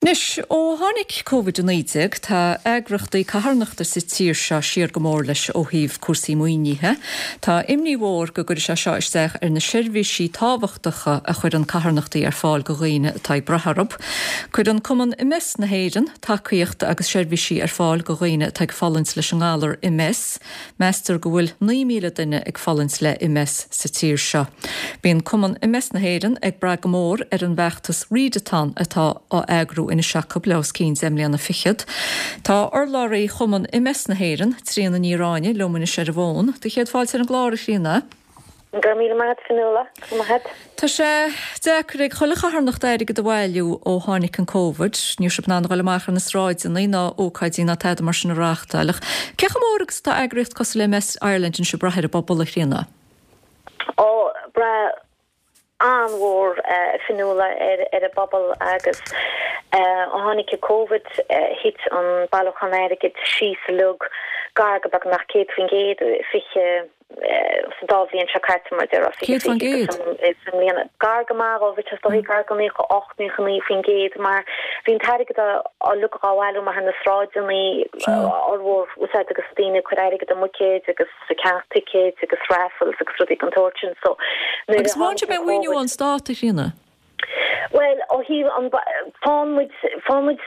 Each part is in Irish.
Anois, ó tháinig Covid-19, tá eagrachtaí carthanachta sa tír seo siar go mór leis ó thaobh cúrsaí maoinithe. Tá imní mhór go gcuirfidh sé seo isteach ar na seirbhísí tábhachtacha a chuireann carthanachtaí ar fáil go dhaoine atá ag brath orthu. Cuireann Cumann MS na hÉireann tacaíocht agus seirbhísí ar fáil go dhaoine atá ag fulaingt leis an ngalar MS. Meastar go bhfuil 9,000 duine ag fulaingt le MS sa tír seo. Bíonn Cumann MS na hÉireann ag brath go mór ar an bhfeachtas Readathon atá á eagrú anois acu le os cionn 10 mbliana fichead. Tá urlabhraí Chumann MS na hÉireann, Tríona Ní Ráinne, liom anois ar an bhfón. Do chéad fáilte ar an gclár, a Thríona. Go raibh míle maith agat, Fionnuala. Go raibh maith agat. Tá sé deacair ag chuile charthanacht airgead a bhailiú ó tháinig an Covid. Ní raibh sibh in ann a dhul amach ar na sráideanna ná ócáidí ná tada mar sin a reáchtáil. Ach cé chomh mór agus atá eagraíocht cosúil le MS Ireland anois ag brath ar an bpobal, a Thríona? Ó, brath an-mhór, a Fionnuala, ar an bpobal agus ó tháinig an Covid thit an bailiúchán airgid síos uilig gar go beagnach 100%, 20. sa dá bhliain seo caite, mar a déarfá, 20% agus i mbliana. Gar go maith dhó, bhí sé is dóichí gar go 98, 99% mar bhí an t-airgead uilig á bhailiú amach ar na sráideanna, fhormhór, úsáid agus daoine ag cur airgead i mbuicéid agus ag ceannach ticéid agus raffles agus rudaí den tsórt sin. So nuair a Agus bhain sibh aon mhaoiniú ón stát, a Thríona? Bhuel, ó thaobh an, faigheann muid, faigheann muid,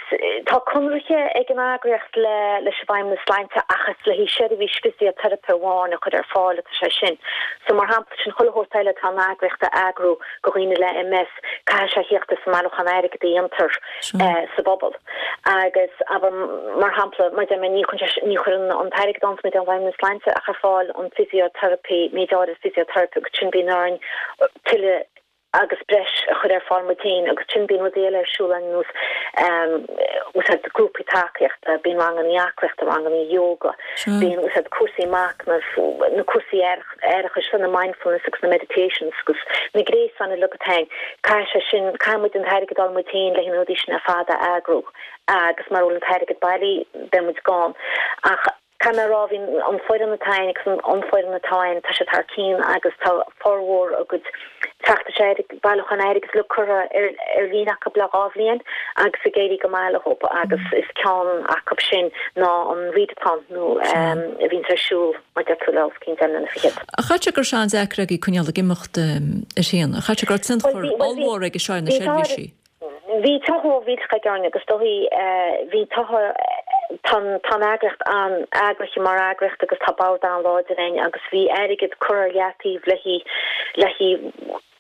tá conraithe ag an eagraíocht le, leis an bhFeidhmeannas Sláinte ach is le haghaidh seirbhís fisioteiripe amháin a chur ar fáil atá sé sin. So, mar shampla, sin chuile shórt eile atá an eagraíocht a eagrú go dhaoine le MS, caithfidh sé thíocht as an mbailiúchán airgid a dhéantar sa bpobal. Agus, abair, mar shampla, mar a deir mé, ní chuireann sé, ní chuireann an t-airgead a fhaigheanns muid ón bhFeidhmeannas Sláinte ach ar fáil an physiotherapy, méid áirid physiotherapy agus sin bíonn orainn tuilleadh agus breis a chur ar fáil muid féin agus sin bíonn rudaí eile ar siúl ar nós úsáid grúpaí tacaíochta, bíonn ranganna aclaíochta, ranganna yoga, bíonn úsáid cúrsaí machnaimh, na cúrsaí aireachais, na mindfulness agus na meditations agus na gréasáin uilig atá ann. Caithfidh sé sin, caithfidh muid an t-airgead a fháil muid féin le na rudaí sin ar fad a eagrú agus mara bhfuil an t-airgead bailí beidh muid gann. Ach Caithfidh mé a rá, bhí an foireann atá ann agus an fhoireann atá ann, tá siad thar cionn agus tá formhór a gcuid feachtais airgid, bailiúchán airgid uilig curtha ar líne acu le 2 bhliain agus ag éirí go maith leo agus is ceann acu sin ná an Readathon nó a bhíonns ar siúl mar deir tú le os cionn 10 mbliana fichead. Chaithfeadh sé go raibh sé an-deacair agaibh coinneáil ag imeacht, a Thríona. Chaithfeadh sé go raibh tionchar ollmhór aige seo ar na seirbhísí. Bhí tionchar mhór mhillteach aige orainn agus is dóichí bhí togha tá an eagraíocht an-eagraithe mar eagraíocht agus tá bord an-láidir againn agus bhí airgead curtha ar leataobh le le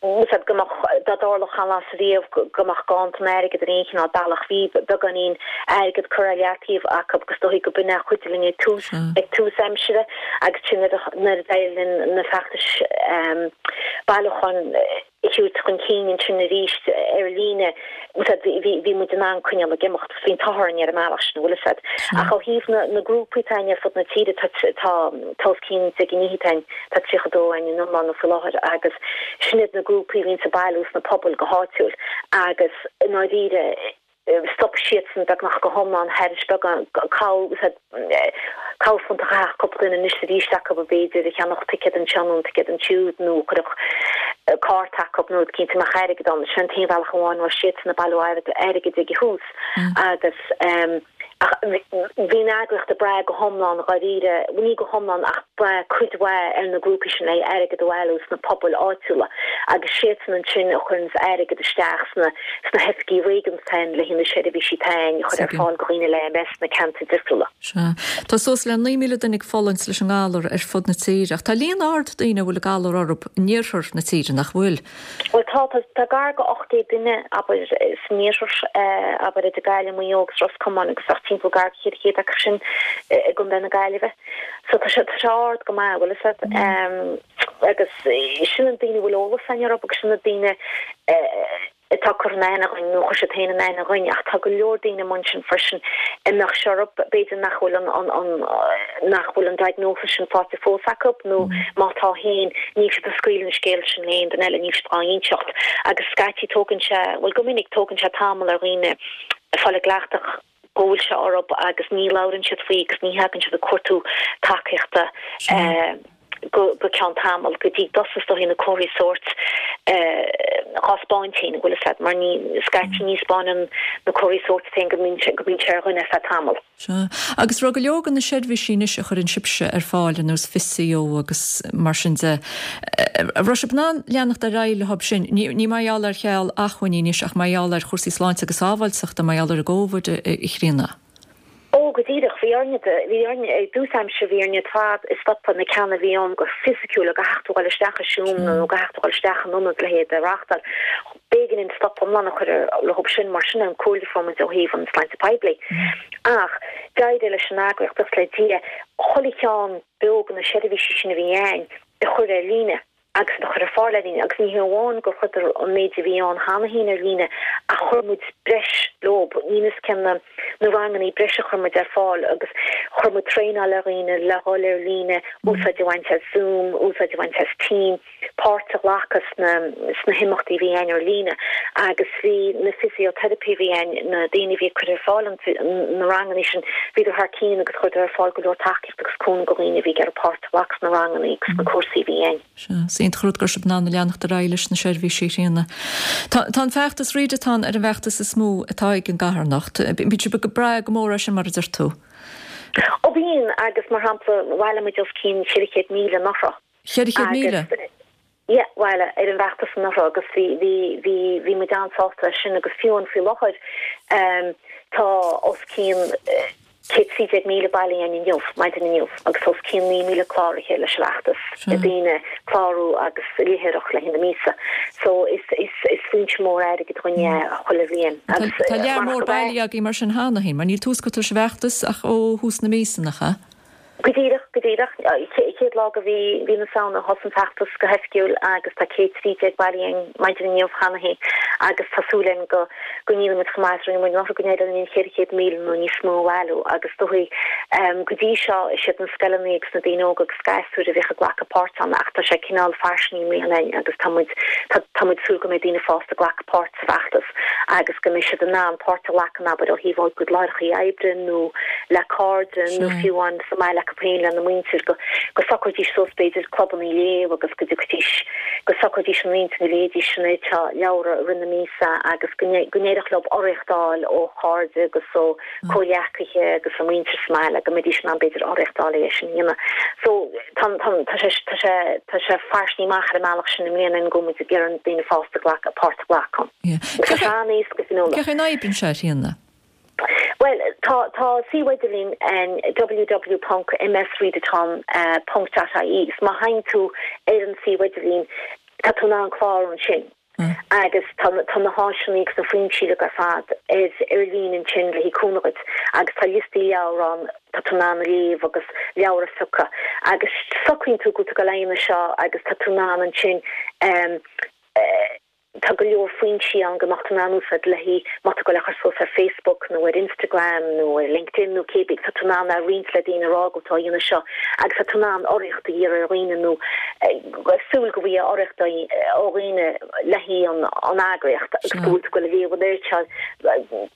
haghaidh go mbeadh dá dtarlódh aon lá ariamh go mbeadh gann san airgead ar aon chineál bealach. Bhí beagáinín airgead curtha ar leataobh acu agus is dóichí go b'in é a chuidigh linn ag tús ag tús aimsire agus sin nuair a d'éirigh linn na feachtais bailiúcháin a thabhairt chun cinn ansin arís ar líne, bhí muid in ann coinneáil ag imeacht. Bhí an t-ádh orainn ar an mbealach sin, bhfuil fhios a'd. Ach ó thaobh na ngrúpaí atá againn ar fud na tíre, tá tá os cionn 10 ndícheall againn, tá 32 againn in iomlán faoi láthair agus sin iad na grúpaí a bhíonns ag bailiú sna pobail go háitiúil agus i ndáiríre, Stop siadsan beagnach go hiomlán thairis beagán corrphunt a chaithfeadh cúpla duine anois is arís acu b'fhéidir a cheannódh ticéad anseo nó ticéad ansiúd nó a chuirfeadh cárta acu nó rud eicínt a mbeadh airgead ann. Sin an t-aon bhealach amháin a raibh siadsan ag bailiú airgid ag an thús agus ach bhí an eagraíocht ag brath go hiomlán dháiríre, ní go hiomlán ach brath cuid mhaith ar na grúpaí sin le airgead a bhailiú sna pobail áitiúla agus siadsan ansin a chuireanns airgead isteach sna sna hoifigí réigiúnda atá ann le haghaidh na seirbhísí atá ann a chur ar fáil do dhaoine le MS sna ceantair difriúla. Sea. Tá suas le 9,000 duine ag fulaingt leis an ngalar ar fud na tíre ach tá líon ard daoine a bhfuil an galar orthu in iarthar na tíre, nach bhfuil? Bhuel tá, tá, tá gar go 800 duine, abair, san iarthar, abair, idir Gaillimh, Maigh Eo agus Ros Comáin agus bheadh timpeall gar go 400 acu sin i gContae na Gaillimhe. So tá sé, tá sé ard go maith, bhfuil fhios a'd. Agus sin na daoine a bhfuil eolas againn orthu agus sin na daoine atá curtha in aithne againn nó chuir siad féin in aithne dhúinn ach tá go leor daoine amuigh ansin freisin a mbeadh sé orthu, b'fhéidir nach bhfuil an, an, an, nach bhfuil an diagnosis sin faighte fós acu nó má tá féin níl siad ag scaoileadh an scéil sin le aon duine eile, níl siad á inseacht agus scaití tógann sé, bhuel go minic tógann sé tamall ar dhaoine fáil i gcleachtadh go bhfuil sé orthu agus ní labhrann siad faoi agus ní thagann siad ag cuartú tacaíochta go ceann tamaill, go dtí go dtosós is dóichí na comharthaí sóirt. Dhá 'spáint féin, an bhfuil fhios a'd, mar ní, scaití ní 'spáineann na comharthaí sóirt féin go mbíonn sé, go mbíonn sé ar dhuine ar feadh tamaill. Sea. Agus raibh go leor de na seirbhísí anois a chuireann sibhse ar fáil, ar nós fisio agus mar sin de, an raibh sibh in ann leanacht ar aghaidh leob sin, ní, ní mar gheall ar cheal acmhainní anois ach mar gheall ar chúrsaí sláinte agus sábháilteachta, mar gheall ar an gCóvid, a Chríona? Ó, go díreach. Bhí orainne, bhí orainne, i dtús aimsire bhí orainne ar fad stopadh na ceanna a bhí ann go fisiciúil go gcaithfeadh tú dhul isteach i seomra nó go gcaithfeadh tú dhul isteach in ionad le hiad a reáchtáil. B'éigean dúinn stop iomlán a chur leob sin mar sin an comhairle a fuair muid ó thaobh an sláinte poiblí. Ach d'éirigh leis an eagraíocht, buíochas le Dia, chuile cheann beo de na seirbhísí sin a bhí ann a chur ar líne. agus a chur ar fáil ar líne, agus ní hé amháin gur chuireadar an méid a bhí ann cheana féin ar líne ach chuir muid breis leob, níl fhios cén na na rangannaí breise a chuir muid ar fáil agus chuir muid traenáil ar dhaoine le dhul ar líne, úsáid a bhaint as Zoom, úsáid a bhaint as Team, páirt a ghlacadh sna sna himeachtaí a bhí ann ar líne agus bhí na physiotherapy a bhí ann, na daoine a bhí ag cur ar fáil an na rangannaí sin, bhíodar thar cionn agus chuireadar ar fáil go leor tacaíocht. agus cúnamh do dhaoine a bhí ag iarraidh páirt a ghlacadh sna ranganna agus sna cúrsaí a bhí ann. Sea, is iontach an rud go raibh sibh in ann leanacht ar aghaidh leis na seirbhísí, a Thríona. Tá, tá an feachtas Readathon ar an bhfeachtas is mó atá ag an gcarthanacht. Bíonn sibh ag brath go mór air sin, mar a deir tú. Ó bíonn, agus mar shampla, bhailigh muid os cionn 400,000 anuraidh. 400,000? Agus, yeah, bhailigh, ar an bhfeachtas anuraidh agus bhí, bhí, bhí, bhí muid an-sásta leis sin agus fiú amháin faoi láthair, tá os cionn, 113,000 bailithe againn inniu, maidin inniu, agus os cionn 9,000 cláraithe leis an bhfeachtas, daoine clárú agus léitheoireacht le haghaidh na míosa. So is, is, is foinse mór airgid dhúinn é chuile bhliain. Agus Tá lear mór bailithe agaibh mar sin cheana féin, mar níl tús curtha leis an bhfeachtas ach ó thús na míosa, nach ea? Go díreach, go díreach. Chéad lá de mhí, mhí na Samhna a thosaigh an feachtas go hoifigiúil agus tá 113 bailithe againn maidin inniu cheana féin agus tá súil againn go go ndéanfaidh muid chomh maith is a rinne muid anuraidh, go n-éireoidh linn 400,000 nó níos mó a bhailiú agus dóigh go dtí seo is iad na scoileanna agus na daoine óga agus gasúir a bhíodh ag glacadh páirt ann ach tá sé cineál fairsingithe i mbliana againn agus tá muid tá tá muid ag súil go mbeidh daoine fásta ag glacadh páirt sa bhfeachtas agus go mbeidh siad in ann páirt a ghlacadh in abair ó thaobh a gcuid láithreacha oibre nó le cairde nó fiú amháin sa mbaile acu féin lena muintir, go go socróidís suas b'fhéidir clubanna léamh agus go dtiocfaidís, go socróidís ina n-intinn go léifidís an oiread seo leabhra i rith na míosa agus go go n-éireodh leo urraíocht a fháil ó chairde agus ó comhghleacaithe agus a muintir sa mbaile go mbeidís in ann b'fhéidir urraíocht a fháil é sin a dhéanamh. So tá tá tá sé tá sé tá sé fairsingithe amach ar an mbealach sin i mbliana go bhfuil muid ag iarraidh daoine fásta glacadh páirt a ghlacadh ann. Agus tá sé an-éasca Fionnuala. Cén chaoi a n-oibríonn sé, a Thríona? Bhuel, tá, tá suíomh idirlín ann www ponc msreadathon ponc dot ie agus má théann tú ar an suíomh idirlín tá tú in ann clárú ansin agus tá, tá na háiseanna agus na foinsí uilig ar fad ar, ar líne ansin le haghaidh cúnamh dhuit agus tá liostaí leabhar ann tá tú in ann a léamh agus leabhar a phiocadh agus socraíonn tú go bhfuil tú ag dul a dhéanamh seo agus tá tú in ann ansin eh, Tá go leor foinsí ann go mbeadh tú in ann úsáid le haghaidh má tá tú ag dul a chur suas ar Facebook nó ar Instagram nó ar LinkedIn nó cébí, tá tú in ann a roinnt le daoine a rá go bhfuil tú á dhéanamh seo agus tá tú in ann urraíocht a iarraidh ar dhaoine nó súil go bhfaighidh urraíocht ó dhaoine le haghaidh an eagraíocht agus go bhfuil tú ag dul a léamh an oiread seo.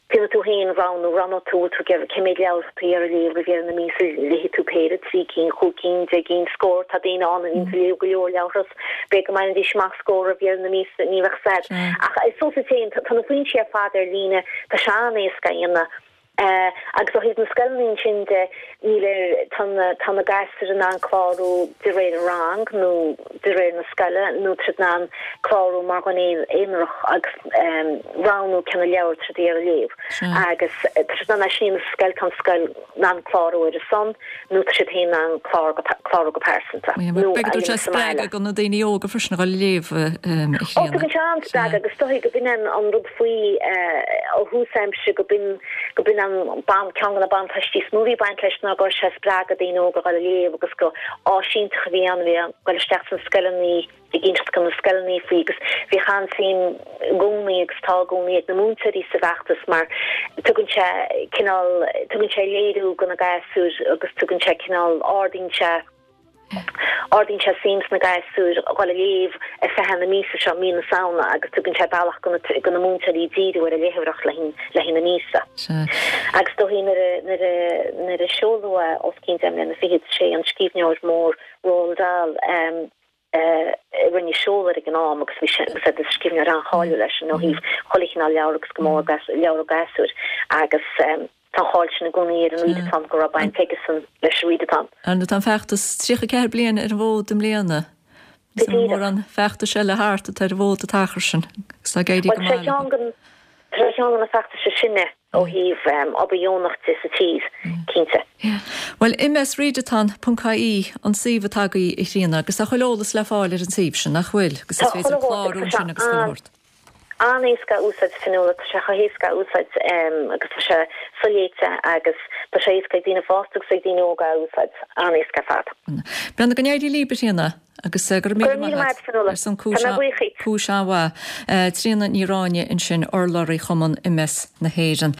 Déanfaidh tú féin roghnú, roghnóidh tú, tú ag iarraidh cé méid leabhar atá tú ag iarraidh léamh roimh dheireadh na míosa, léifidh tú péire, trí cinn, chúig cinn, deich gcinn, scór, tá daoine ann a bhíonns ag léamh go leor leabhartha, b'fhéidir go mbainfidís amach scór roimh dheireadh na míosa, ní bheadh fhios a'd. Ach is fós féin, tá na foinsí ar fad ar líne, tá sé an-éasca a dhéanamh. Agus ó thaobh na scoileanna ansin de, níl ar, tá na, tá na gasúir in ann clárú de réir an rang nó de réir na scoile nó tá siad in ann clárú mar dhuine aonarach agus roghnú cé na leabhair atá siad ag iarraidh a léamh. Agus tá siad in ann é sin a dhéanamh sa scoil, tá an scoil in ann clárú ar a son nó tá siad féin in ann clárú go pearsanta nó a dhéanamh sa mbaile. Spreagadh do na daoine óga freisin a dhul ag léamh, a Ó, tugann sé an-spreagadh agus is dóigh go b'in an rud faoi ó thús aimsire go b'in go b'in an ceann de na buntáistí is mó a bhí ag baint leis ná go raibh sé ag spreagadh daoine óga a dhul ag léamh agus go áis iontach a bhí ann a bhí ag dul isteach sna scoileanna ag inseacht do na scoileanna faoi agus bhíodh an-suim i gcónaí agus tá i gcónaí ag na múinteoirí sa bhfeachtas mar tugann sé cineál tugann sé léiriú do na gasúir agus tugann sé cineál ardaíonn sé Ardaíonn sé suim sna gasúir a dhul ag léamh ar feadh na míosa seo, mí na Samhna, agus tugann sé bealach do na múinteoirí díriú ar an léitheoireacht le haghaidh na míosa. Agus dóigh nuair a nuair a nuair a seoladh é os cionn deich mbliana fichead, sé an scríbhneoir mór Roald Dahl. A rinne seoladh air ag an am agus bhí sé agus is scríbhneoir an-cháiliúil eisean ó thaobh chuile chineál leabhar agus go mór leabhar do ghasúir agus tá an cháil sin i gcónaí ar an Readathon go raibh baint aigesan leis an Readathon. Ar tá an feachtas 34 bliain ar an bhfód i mbliana. Go díreach. Mórán feachtais eile thart atá ar an bhfód an t-achar sin agus tá ag éirí go maith leo. Tá sé ar cheann de na feachtais is sine ó thaobh obair dheonach de sa tír, cinnte. Bhuel, msreadathon ponc ie an suíomh atá agaibh, a Thríona, agus tá chuile eolas le fáil ar an suíomh sin, nach bhfuil? Agus is féidir clárú ansin agus chuile shórt. An-éasca a úsáid, Fionnuala, tá sé chomh héasca a úsáid agus tá sé soléite agus tá sé éasca ag daoine fásta agus ag daoine óga a úsáid, an-éasca ar fad. Bhuel, go n-éirí libh, a Thríona. Agus go raibh míle maith agat ar son cúis an-mhaith. Tríona Ní Ráinne ansin, urlabhraí Chumann MS na hÉireann.